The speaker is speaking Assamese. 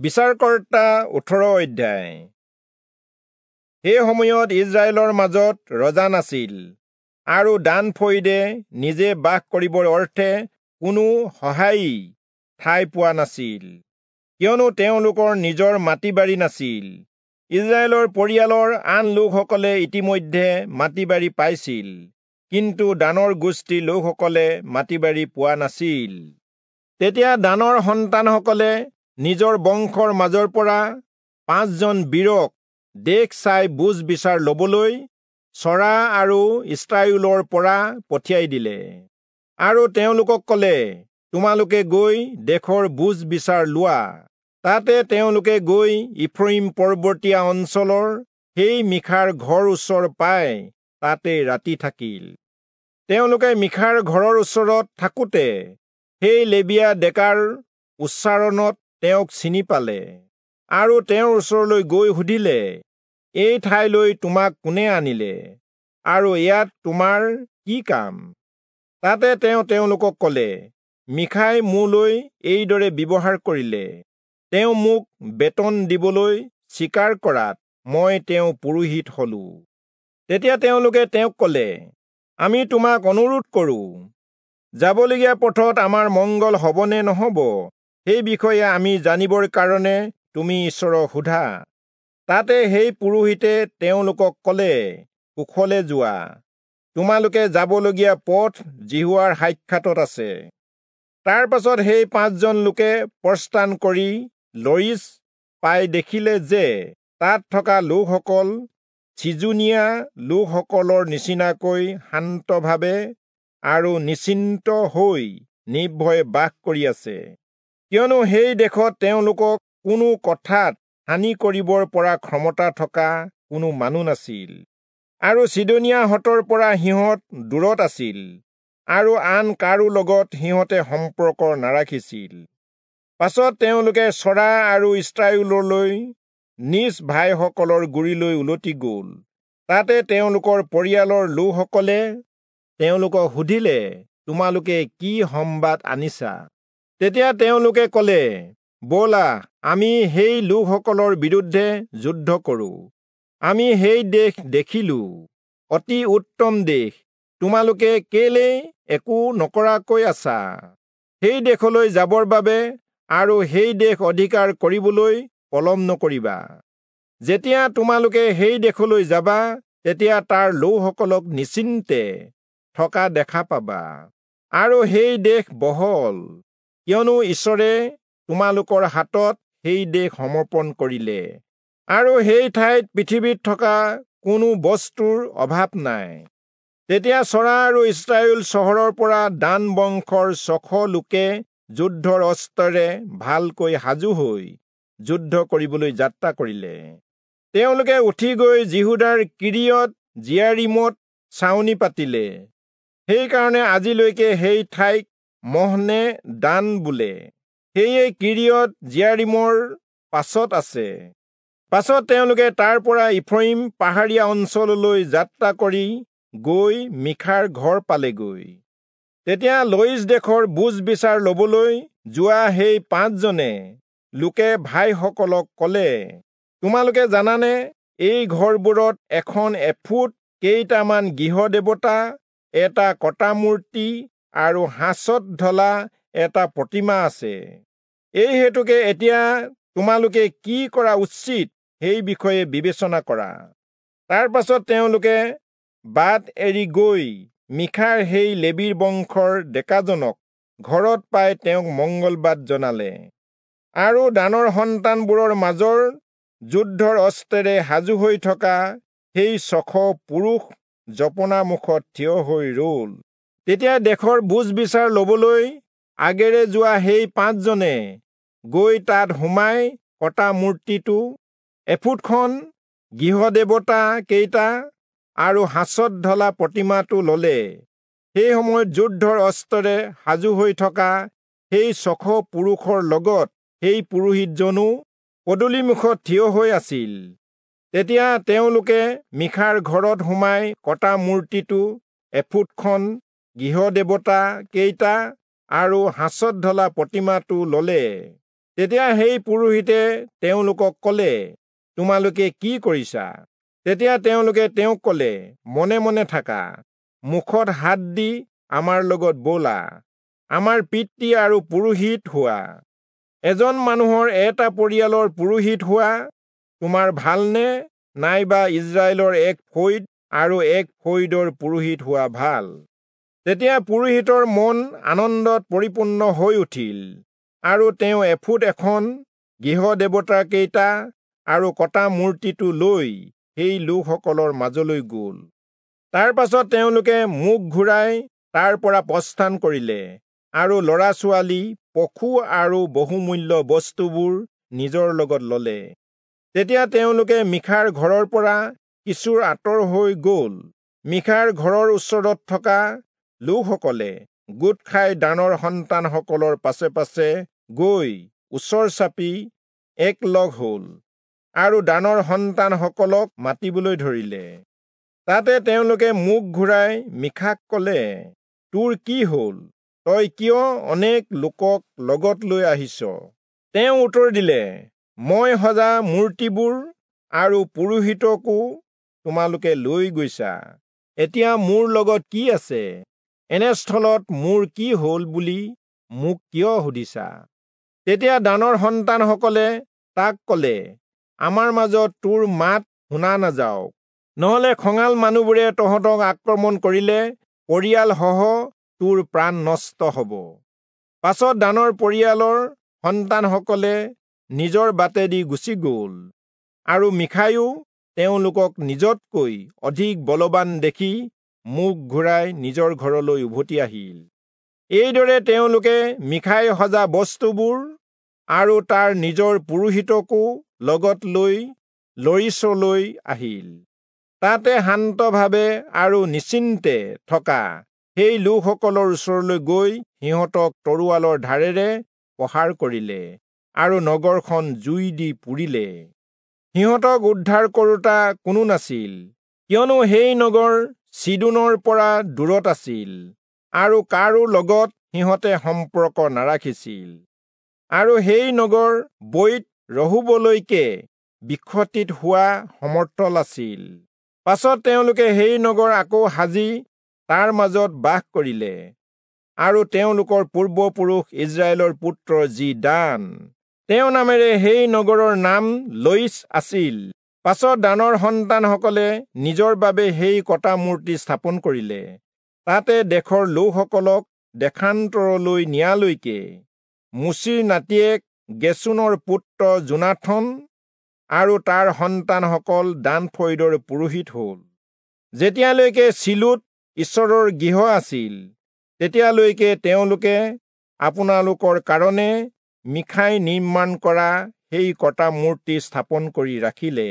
বিচাৰকৰ্তা 18 অধ্যায়। সেই সময়ত ইজৰাইলৰ মাজত ৰজা নাছিল, আৰু দান ফৈদে নিজে বাস কৰিবৰ অৰ্থে কোনো সহায়ী ঠাই পোৱা নাছিল, কিয়নো তেওঁলোকৰ নিজৰ মাটি বাৰী নাছিল। ইজৰাইলৰ পৰিয়ালৰ আন লোকসকলে ইতিমধ্যে মাটি বাৰী পাইছিল, কিন্তু দানৰ গোষ্ঠীৰ লোকসকলে মাটি বাৰী পোৱা নাছিল। তেতিয়া দানৰ সন্তানসকলে নিজৰ বংশৰ মাজৰ পৰা 5জন বীৰক দেশ চাই বুজ বিচাৰ লবলৈ চৰা আৰু ইস্ৰায়েলৰ পৰা পঠিয়াই দিলে, আৰু তেওঁলোকক কলে, তোমালোকে গৈ দেশৰ বুজ বিচাৰ লোৱা। তাতে তেওঁলোকে গৈ ইফ্ৰয়িম পৰ্বতীয়া অঞ্চলৰ সেই মিখাৰ ঘৰ ওচৰ পাই তাতে ৰাতি থাকিল। তেওঁলোকে মিখাৰ ঘৰৰ ওচৰত থাকোঁতে সেই লেবীয়া ডেকাৰ উচ্চাৰণত তেওঁক চিনি পালে, আৰু তেওঁৰ ওচৰলৈ গৈ সুধিলে, এই ঠাইলৈ তোমাক কোনে আনিলে, আৰু ইয়াত তোমাৰ কি কাম? তাতে তেওঁ তেওঁলোকক কলে, মিখাই মোলৈ এইদৰে ব্যৱহাৰ কৰিলে, তেওঁ মোক বেতন দিবলৈ স্বীকাৰ কৰাত মই তেওঁ পুৰোহিত হলো। তেতিয়া তেওঁলোকে তেওঁক কলে, আমি তোমাক অনুৰোধ কৰোঁ, যাবলগীয়া পথত আমাৰ মংগল হবনে নহব সেই বিষয়ে আমি জানিবৰ কাৰণে তুমি ঈশ্বৰক সোধা। তাতে সেই পুৰোহিতে তেওঁলোকক কলে, কুশলে যোৱা, তোমালোকে যাবলগীয়া পথ যিহোৱাৰ সাক্ষাতত আছে। তাৰ পাছত সেই 5জন লোকে প্ৰস্থান কৰি লয়িচ পাই দেখিলে যে তাত থকা লোকসকল চিজুনীয়া লোকসকলৰ নিচিনাকৈ শান্তভাৱে আৰু নিশ্চিন্ত হৈ নিৰ্ভয়ে বাস কৰি আছে, কিয়নো সেই দেশত তেওঁলোকক কোনো কথাত হানি কৰিবৰ পৰা ক্ষমতা থকা কোনো মানুহ নাছিল, আৰু চিদনীয়াহঁতৰ পৰা সিহঁত দূৰত আছিল, আৰু আন কাৰো লগত সিহঁতে সম্পৰ্ক নাৰাখিছিল। পাছত তেওঁলোকে চৰা আৰু ইস্ৰায়েললৈ নিজ ভাইসকলৰ গুৰিলৈ উলটি গল। তাতে তেওঁলোকৰ পৰিয়ালৰ লোকসকলে তেওঁলোকক সুধিলে, তোমালোকে কি সম্বাদ আনিছা? তেতিয়া তেওঁলোকে কলে, ব'লা আমি সেই লোকসকলৰ বিৰুদ্ধে যুদ্ধ কৰোঁ। আমি সেই দেশ দেখিলো, অতি উত্তম দেশ, তোমালোকে কেলেই একো নকৰাকৈ আছা? সেই দেশলৈ যাবৰ বাবে আৰু সেই দেশ অধিকাৰ কৰিবলৈ পলম নকৰিবা। যেতিয়া তোমালোকে সেই দেশলৈ যাবা, তেতিয়া তাৰ লোকসকলক নিশ্চিন্তে থকা দেখা পাবা, আৰু সেই দেশ বহল, কিয়নো ঈশ্বৰে তোমালোকৰ হাতত সেই দেশ সমৰ্পণ কৰিলে, আৰু সেই ঠাইত পৃথিৱীত থকা কোনো বস্তুৰ অভাৱ নাই। তেতিয়া চৰা আৰু ইস্ৰায়েল চহৰৰ পৰা দান বংশৰ 600 লোকে যুদ্ধৰ অস্ত্ৰেৰে ভালকৈ সাজু হৈ যুদ্ধ কৰিবলৈ যাত্ৰা কৰিলে। তেওঁলোকে উঠি গৈ যিহূদাৰ কিৰিয়ত জিয়াৰিমত ছাউনি পাতিলে। সেইকাৰণে আজিলৈকে সেই ঠাইক মহনে দান বোলে। সেয়ে কিৰিয়ত জিয়াৰিমৰ পাছত আছে। পাছত তেওঁলোকে তাৰ পৰা ইফ্ৰয়িম পাহাৰীয়া অঞ্চললৈ যাত্ৰা কৰি গৈ মিখাৰ ঘৰ পালেগৈ। তেতিয়া লয়িচ দেশৰ বুজ বিচাৰ লবলৈ যোৱা সেই 5জনে লোকে ভাইসকলক কলে, তোমালোকে জানানে এই ঘৰবোৰত এখন এফুট, কেইটামান গৃহদেৱতা, এটা কটা মূৰ্তি আৰু সাঁচত ঢলা এটা প্ৰতিমা আছে। এই হেতুকে এতিয়া তোমালোকে কি কৰা উচিত সেই বিষয়ে বিবেচনা কৰা। তাৰ পাছত তেওঁলোকে বাট এৰি গৈ মিখাৰ সেই লেবীৰ বংশৰ ডেকাজনক ঘৰত পাই তেওঁক মংগলবাদ জনালে। আৰু দানৰ সন্তানবোৰৰ মাজৰ যুদ্ধৰ অস্ত্ৰেৰে সাজু হৈ থকা সেই 600 পুৰুষ জপনা মুখত থিয় হৈ ৰল। তেতিয়া দেশৰ বুজ বিচাৰ লবলৈ আগেৰে যোৱা সেই 5জনে গৈ তাত সোমাই কটা মূৰ্তিটো, এফুটখন, গৃহদেৱতা কেইটা আৰু সাঁচত ঢলা প্ৰতিমাটো ললে। সেই সময়ত যুদ্ধৰ অস্ত্ৰেৰে সাজু হৈ থকা সেই 600 পুৰুষৰ লগত সেই পুৰোহিতজনো পদূলিমুখত থিয় হৈ আছিল। তেতিয়া তেওঁলোকে মিখাৰ ঘৰত সোমাই কটা মূৰ্তিটো, এফুটখন, গৃহদেৱতা কেইটা আৰু সাঁচত ঢলা প্ৰতিমাটো ললে। তেতিয়া সেই পুৰোহিতে তেওঁলোকক কলে, তোমালোকে কি কৰিছা? তেতিয়া তেওঁলোকে তেওঁক কলে, মনে মনে থাকা, মুখত হাত দি আমাৰ লগত ব'লা, আমাৰ পিতৃ আৰু পুৰোহিত হোৱা। এজন মানুহৰ এটা পৰিয়ালৰ পুৰোহিত হোৱা তোমাৰ ভালনে, নাইবা ইজৰাইলৰ এক ফৈদ আৰু এক ফৈদৰ পুৰোহিত হোৱা ভাল? তেতিয়া পুৰোহিতৰ মন আনন্দত পৰিপূৰ্ণ হৈ উঠিল, আৰু তেওঁ এফুট এখন, গৃহ দেৱতাকেইটা আৰু কটা মূৰ্তিটো লৈ সেই লোকসকলৰ মাজলৈ গ'ল। তাৰ পাছত তেওঁলোকে মুখ ঘূৰাই তাৰ পৰা প্ৰস্থান কৰিলে, আৰু ল'ৰা ছোৱালী, পশু আৰু বহুমূল্য বস্তুবোৰ নিজৰ লগত ললে। তেতিয়া তেওঁলোকে মিখাৰ ঘৰৰ পৰা কিছু আঁতৰ হৈ গ'ল। মিখাৰ ঘৰৰ ওচৰত থকা লোকসকলে গোট খাই দানৰ সন্তানসকলৰ পাছে পাছে গৈ ওচৰ চাপি একলগ হ'ল, আৰু দানৰ সন্তানসকলক মাতিবলৈ ধৰিলে। তাতে তেওঁলোকে মুখ ঘূৰাই মিখাক কলে, তোৰ কি হ'ল? তই কিয় অনেক লোকক লগত লৈ আহিছ? তেওঁ উত্তৰ দিলে, মই সজা মূৰ্তিবোৰ আৰু পুৰোহিতকো তোমালোকে লৈ গৈছা। এতিয়া মোৰ লগত কি আছে? এনেস্থলত মোৰ কি হ'ল বুলি মোক কিয় সুধিছা? তেতিয়া দানৰ সন্তানসকলে তাক কলে, আমাৰ মাজত তোৰ মাত শুনা নাযাওক, নহলে খঙাল মানুহবোৰে তহঁতক আক্ৰমণ কৰিলে পৰিয়ালসহ তোৰ প্ৰাণ নষ্ট হ'ব। পাছত দানৰ পৰিয়ালৰ সন্তানসকলে নিজৰ বাটেদি গুচি গ'ল, আৰু মিখায়ো তেওঁলোকক নিজতকৈ অধিক বলৱান দেখি মুখ ঘূৰাই নিজৰ ঘৰলৈ উভতি আহিল। এইদৰে তেওঁলোকে মিখাই সজা বস্তুবোৰ আৰু তাৰ নিজৰ পুৰোহিতকো লগত লৈ লৰিচলৈ আহিল। তাতে শান্তভাৱে আৰু নিশ্চিন্তে থকা সেই লোকসকলৰ ওচৰলৈ গৈ সিহঁতক তৰোৱালৰ ধাৰেৰে প্ৰহাৰ কৰিলে আৰু নগৰখন জুই দি পুৰিলে। সিহঁতক উদ্ধাৰ কৰোঁতা কোনো নাছিল, কিয়নো সেই নগৰ চিদোনৰ পৰা দূৰত আছিল আৰু কাৰো লগত সিহঁতে সম্পৰ্ক নাৰাখিছিল। আৰু সেই নগৰ বৈত ৰহোবলৈকে বিক্ষতিত হোৱা সমতল আছিল। পাছত তেওঁলোকে সেই নগৰ আকৌ সাজি তাৰ মাজত বাস কৰিলে, আৰু তেওঁলোকৰ পূৰ্বপুৰুষ ইজৰাইলৰ পুত্ৰ যি দান, তেওঁ নামেৰে সেই নগৰৰ নাম লয়িচ আছিল। পাছত দানৰ সন্তানসকলে নিজৰ বাবে সেই কটা মূৰ্তি স্থাপন কৰিলে। তাতে দেশৰ লোকসকলক দেশান্তৰলৈ নিয়ালৈকে মোচিৰ নাতিয়েক গেচোনৰ পুত্ৰ যোনাথন আৰু তাৰ সন্তানসকল দান ফৈদৰ পুৰোহিত হ'ল। যেতিয়ালৈকে চিলোত ঈশ্বৰৰ গৃহ আছিল, তেতিয়ালৈকে তেওঁলোকে আপোনালোকৰ কাৰণে মিখাই নিৰ্মাণ কৰা সেই কটা মূৰ্তি স্থাপন কৰি ৰাখিলে।